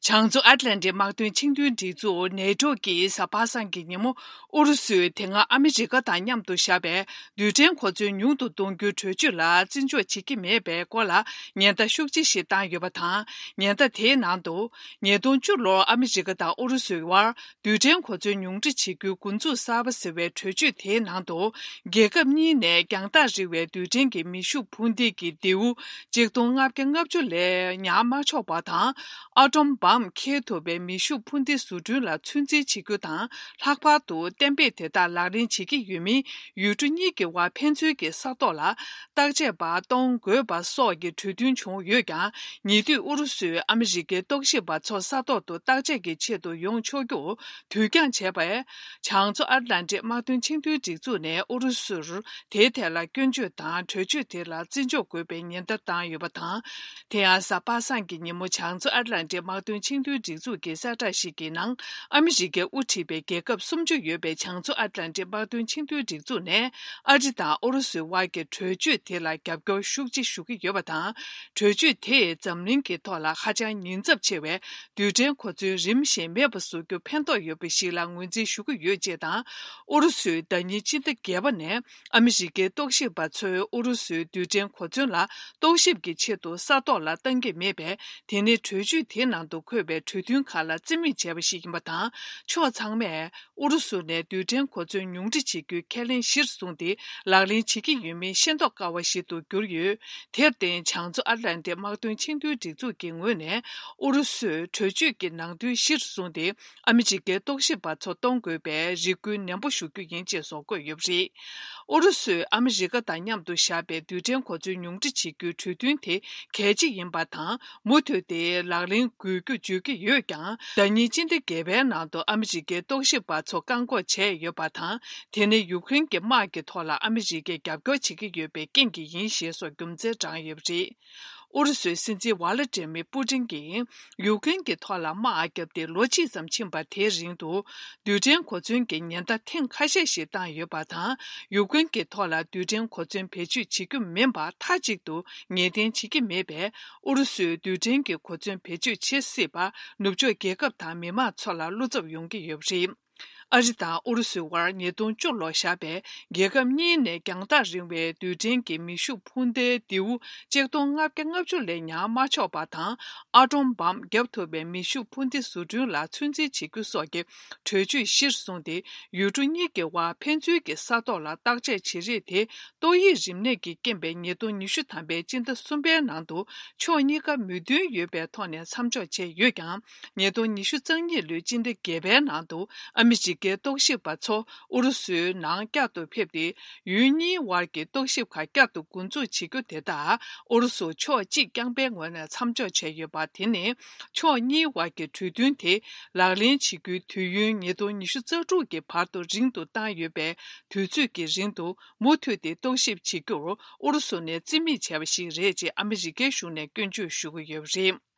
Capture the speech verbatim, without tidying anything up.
བྱང་མཚོ་ཨཊ་ལན་ཊིག་དམག་དོན་ཆིངས་དོན་སྒྲིག་འཛུགས་ནེ་ཊོ་གིས་གཟའ་པ་སངས་ཀྱི་ཉིན་མོ་ཨུ་རུ་སུས་དེ་སྔ་ཨ་མི་རི་ཀ་དང་མཉམ་དུ་བཞག་པའི་རྡུལ་ཕྲན་གོ་མཚོན་ཉུང་དུ་གཏོང་རྒྱུའི་གྲོས་ཆོད་ལ་བརྩི་འཇོག་བྱེད་ཀྱི་མེད་པའི་སྐོར་ལ་ཉེན་བརྡ་ཤུགས་ཆེ་ཞིག་བཏང་ཡོད་པ་དང་། ཉེན་བརྡ་དེའི་ནང་དུ། ཉིས་སྟོང་བཅུ་ལོར་ཨ་མི་རི་ཀ་དང་ཨུ་རུ་སུའི་དབར་རྡུལ་ཕྲན་གོ་མཚོན་ཉུང་འཕྲི་བྱེད་རྒྱུའི་འགོ་འཛུགས་གསར་པ་ཟེར་བའི་གྲོས་ཆོད་དེའི་ནང་དུ། རྒྱལ་ཁབ་གཉིས་ནས་རྒྱང་ཐག་རིང་བའི་རྡུལ་ཕྲན་གྱི་མེ་ཤུགས་འཕུར་མདེལ་གྱི་མདེའུ་གཅིག་སྟོང་ལྔ་བརྒྱ་ལྔ་བཅུ་ལས་ཉར་མ་ཆོག་པ་དང་། ཨ་ཊོམ་བྷོམ་འཁྱེར་ཐུབ་པའི་མེ་ཤུགས་འཕུར་མདེལ་བཟོ་སྐྲུན་ལ་ཚོད་འཛིན་བྱེད་རྒྱུ་དང་། ལྷག་པར་དུ་གཏན་འབེབས་དེ་དག་ལག་ལེན་བྱེད་ཀྱི་ཡོད་མིན། ཡུལ་གྲུ་གཉིས་ཀྱི་དབར་ཕན་ཚུན་གྱི་ས་ཐོག་ལ་བརྟག་དཔྱད་པ་གཏོང་དགོས་པ་སོགས་ཀྱི་གྲོས་མཐུན་བྱུང་ཡོད་ཀྱང་། ཉེ་དུས་ཨུ་རུ་སུས་ཨ་མི་རི་ཀའི་རྟོག་ཞིབ་པ་ཚོ་ས་ཐོག་ཏུ་བརྟག་དཔྱད་ཀྱི་ཆེད་དུ་ཡོང་ཆོག་རྒྱུ་དུས་འགྱངས་བྱས་པས། བྱང་མཚོ་ཨཊ་ལན་ཊིག་དམག་དོན་ཆིངས་དོན་སྒྲིག་འཛུགས་ནས་ཨུ་རུ་སུར་དེའི་ཐད་ལ་སྐྱོན་བརྗོད་དང་། གྲོས་ཆོད་དེ་ལ་བརྩི་འཇོག་དགོས་པའི་ཉེན་བརྡ་བཏང་ཡོད་པ་དང་། དེ་ཡང་གཟའ་པ་སངས་ཀྱི་ཉིན་མོ་བྱང་མཚོ་ཨཊ་ལན་ཊིག་དམག་དོན་ཆིངས་དོན་སྒྲིག་འཛུགས་ཀྱི་གསལ་བསྒྲགས་ཤིག་གི་ནང་། ཨ་མི་རི་ཀས་དབུ་ཁྲིད་པའི་རྒྱལ་ཁབ་སུམ་ཅུ་ཡོད་པའི་བྱང་མཚོ་ཨཊ་ལན་ཊིག་དམག་དོན་ཆིངས་དོན་སྒྲིག་འཛུགས་ནས། ཨ་རི་དང་ཨུ་རུ་སུའི་དབར་གྱི་གྲོས་ཆོད་དེ་ལ་རྒྱབ་སྐྱོར་ཤུགས་ཆེ་ཞུ་གི་ཡོད་པ་དང་། གྲོས་ཆོད་དེས་འཛམ་གླིང་གི་ཐོག་ལ་ཧ་ཅང་ཉེན་ཚབས་ཆེ་བའི་རྡུལ་ཕྲན་གོ་མཚོན་རིམ་བཞིན་མེད་པ་བཟོ་རྒྱུ་ཕན་ཐོགས་ཡོད་པ་ཞིག་ལ་ངོས་འཛིན་ཞུ་གི་ཡོད་ཅེས་དང་། ཨུ་རུ་སུས་ཟླ་ཉིན་སྤྱི་ཟླ་བརྒྱད་པ་ནས་ཨ་མི་རི་ཀའི་རྟོག་ཞིབ་པ་ཚོས་ཨུ་རུ་སུའི་རྡུལ་ཕྲན་གོ་མཚོན་ལ་རྟོག་ཞིབ་ཀྱི་ཆེད་དུ་ས་ཐོག་ལ་བཏང་གི་མེད་པས། དེ་ནི་གྲོས་ཆོད་དེའི་ནང་དུ་འཁོད་པའི་གྲོས་མཐུན་ཁག་ལ་རྩིས་མེད་བྱས་པ་ཞིག་ཡིན་པ་དང་། ཕྱོགས་ཚང་མས། ཨུ་རུ་སུ་ནས་རྡུལ་ཕྲན་གོ་མཚོན་ཉུང་འཕྲི་བྱེད་རྒྱུའི་ཁས་ལེན་གཞིར་བཟུང་སྟེ་ལག་ལེན་བྱེད་ཀྱི་ཡོད་མིན་ཤེས་རྟོགས་དཀའ་བ་ཞིག་ཏུ་གྱུར་ཡོད། དེར་བརྟེན། བྱང་མཚོ་ཨཊ་ལན་ཊིག་དམག་དོན་ཆིངས་དོན་སྒྲིག་འཛུགས་ཀྱི་ངོས་ནས་ཨུ་རུ་སུས་གྲོས་ཆོད་ཀྱི་ནང་དོན་གཞིར་བཟུང་སྟེ་ཨ་མི་རི་ཀའི་རྟོག་ཞིབ་པ་ཚོ་གཏོང་དགོས་པའི་རེ་སྐུལ་ནན་པོ་ཞུ་རྒྱུ་ཡིན་ཅེས་སོགས་བཀོད་ཡོད་པ་རེད། ཨུ་རུ་སུས་ཨ་མི་རི་ཀ་དང་མཉམ་དུ་བཞག་པའི་རྡུལ་ཕྲན་གོ་མཚོན་ཉུང་འཕྲི་བྱེད་རྒྱུའི་གྲོས་མཐུན་དེ་གལ་ཆེ་ཡིན་པ་དང་། མུ་མཐུད་དེ་ལག་ལེན་དགོས་རྒྱུ་བརྗོད་ཀྱི་ཡོད་ཀྱང་། ཟླ་ཉིན་སྤྱི་ཟླ་བརྒྱད་པའི་ནང་དུ་ཨ་མི་རི་ཀའི་རྟོག་ཞིབ་པ་ཚོ་བཀག་འགོག་བྱས་ཡོད་པ་དང་། དེ་ནི་ཡུཀ་རེན་གྱི་དམག་གི་ཐོག་ལ་ཨ་མི་རི་ཀས་རྒྱབ་སྐྱོར་བྱེད་ཀྱི་ཡོད་པའི་རྐྱེན་གྱིས་ཡིན་ཞེས་སོགས་རྒྱུ་མཚན་བགྲངས་ཡོད་པ་རེད། ཨུ་རུ་སུའི་སྲིད་འཛིན་ཝ་ལ་ཏྲེ་མི་པུ་ཏིན་གྱིས་ཡུཀ་རེན་གྱི་ཐོག་ལ་དམག་བརྒྱབ་སྟེ་ལོ་གཅིག་ཙམ་ཕྱིན་པ་དེའི་རིང་དུ། རྡུལ་ཕྲན་གོ་མཚོན་གྱི་ཉེན་བརྡ་ཐེངས་ཁ་ཤས་ཤིག་བཏང་ཡོད་པ་དང་། ཡུཀ་རེན་གྱི་ཐོག་ལ་རྡུལ་ཕྲན་གོ་མཚོན་བེད་སྤྱོད་བྱེད་རྒྱུ་མིན་པ་མཐའ་གཅིག་ཏུ་ངེས་གཏན་བྱེད་ཀྱི་མེད་པས། ཨུ་རུ་སུས་རྡུལ་ཕྲན་གྱི་གོ་མཚོན་བེད་སྤྱོད་བྱེད་སྲིད་པ། ནུབ་ཕྱོགས་རྒྱལ་ཁབ་དང་མི་མང་ཚོ་ལ་བློ་འཚབ་ཡོང་གི་ཡོད་པ་རེད། ཨ་རི་དང་ཨུ་རུ་སུའི་དབར་ཉིས་སྟོང་བཅུ་ལོར་བཞག་པའི་རྒྱལ་ཁབ་གཉིས་ནས་རྒྱང་ཐག་རིང་བའི་རྡུལ་ཕྲན་གྱི་མེ་ཤུགས་འཕུར་མདའི་མདེའུ་གཅིག་སྟོང་ལྔ་བརྒྱ་ལྔ་བཅུ་ལས་ཉར་མ་ཆོག་པ་དང་། ཨ་ཊོམ་བྷོམ་བརྒྱབ་ཐུབ་པའི་མེ་ཤུགས་འཕུར་མདེལ་བཟོ་སྐྲུན་ལ་ཚོད་འཛིན་བྱེད་རྒྱུ་སོགས་ཀྱི་གྲོས་ཆོད་གཞིར་བཟུང་སྟེ། ཡུལ་གྲུ་གཉིས་ཀྱི་དབར་ཕན་ཚུན་གྱི་ས་ཐོག་ལ་བརྟག་དཔྱད་བྱེད་རིགས་དེ། ཏོག་དབྱིབས་རིམས་ནད་ཀྱི་རྐྱེན་པས་ཉིས་སྟོང་ཉི་ཤུ་ཐམ་པའི་སྤྱི་ཟླ་གསུམ་པའི་ནང་དུ་ཕྱོགས་གཉིས་ཀ་མོས་མཐུན་ཡོད་པའི་ཐོག་ནས་མཚམས་འཇོག་བྱས་ཡོད་ཀྱང་། ཉིས་སྟོང་ཉི་ཤུ་རྩ་གཉིས་ལོའི་སྤྱི་ཟླ་བརྒྱད་པའི་ནང་དུ་ཨ་མི་རི་ཀའི་རྟོག་ཞིབ་པ་ཚོ་ཨུ་རུ་སུའི་ནང་བསྐྱར་དུ་ཕེབས་ཏེ། ཡུལ་གཉིས་དབར་གྱི་རྟོག་ཞིབ་ཁག་བསྐྱར་དུ་འགོ་འཛུགས་བྱེད་རྒྱུ་དེ་དག་ཨུ་རུ་སུ་ཕྱོགས་གཅིག་རྐྱང་པའི་ངོས་ནས་མཚམས་འཇོག་བྱས་ཡོད་པ། དེ་ནི་ཕྱོགས་གཉིས་དབར་གྱི་གྲོས་མཐུན་དེ་ལག་ལེན་བྱེད་རྒྱུའི་དུས་ཡུན་ཉིས་སྟོང་ཉི་ཤུ་རྩ་དྲུག་གི་བར་དུ་རིང་དུ་བཏང་ཡོད་པའི་དུས་ཚོད་ཀྱི་རིང་དུ། མུ་མཐུད་དེ་རྟོག་ཞིབ་བྱེད་རྒྱུར་ཨུ་རུ་སུ་ནས་རྩིས་མེད་བྱས་པ་ཞིག་རེད་ཅེས་ཨ་མི་རི་ཀའི་གཞུང་ནས་སྐྱོན་བརྗོད་ཞུ་གི་ཡོད་པ་རེད།